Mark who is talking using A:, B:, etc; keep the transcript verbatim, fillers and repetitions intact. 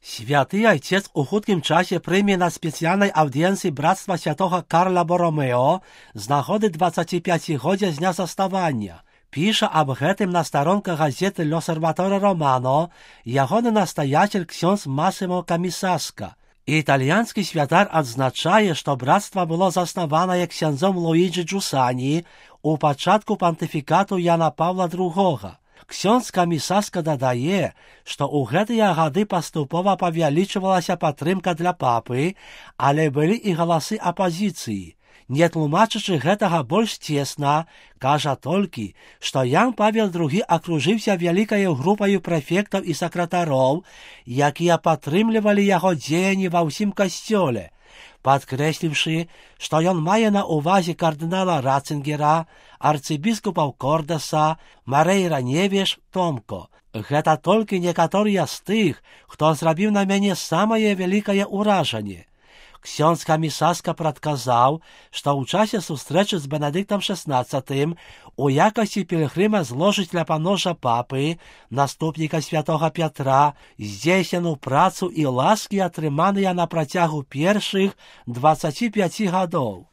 A: Святый Отец у хуткім часе прийме на спеціальній аудієнції Братства Святого Карла Боромео з нагоди двадцятип'ятигоддя з дня заснування. Піша аб гэтым на старонках газеты «L'Osservatore Romano» ягоны настоятель ксёндз Масимо Камісаска. Італьянскі святар адзначае, што братства было заснаванае ксяндзом Луіджі Джусані у пачатку пантыфікату Яна Павла другога. Ксёндз Камісаска дадае, што ў гэтыя гады паступова павялічвалася падтрымка для папы, але былі і галасы апазіцыі. Не тлумачачы гэтага больш цесна, кажа толькі, што Ян Павел другі акружыўся вялікаю групаю прэфектаў і сакратароў, якія падтрымлівалі яго дзеянні ва ўсім касцёле, падкрэсліўшы, што ён мае на ўвазе кардынала Рацынгера, арцыбіскупаў Кордаса, Марэйра Невеш, Томко. Гэта толькі некаторыя з тых, хто зрабіў на мяне самае вялікае ўражанне. Ксёндз Камісаска прадказаў, што ў часе сустрэчы з Бенедыктам шаснаццатым у якасці пілгрыма зложыць ля паножа папы, наступніка святога Пятра, здзейсненую працу і ласкі, атрыманыя на працягу першых дваццаці пяці гадоў.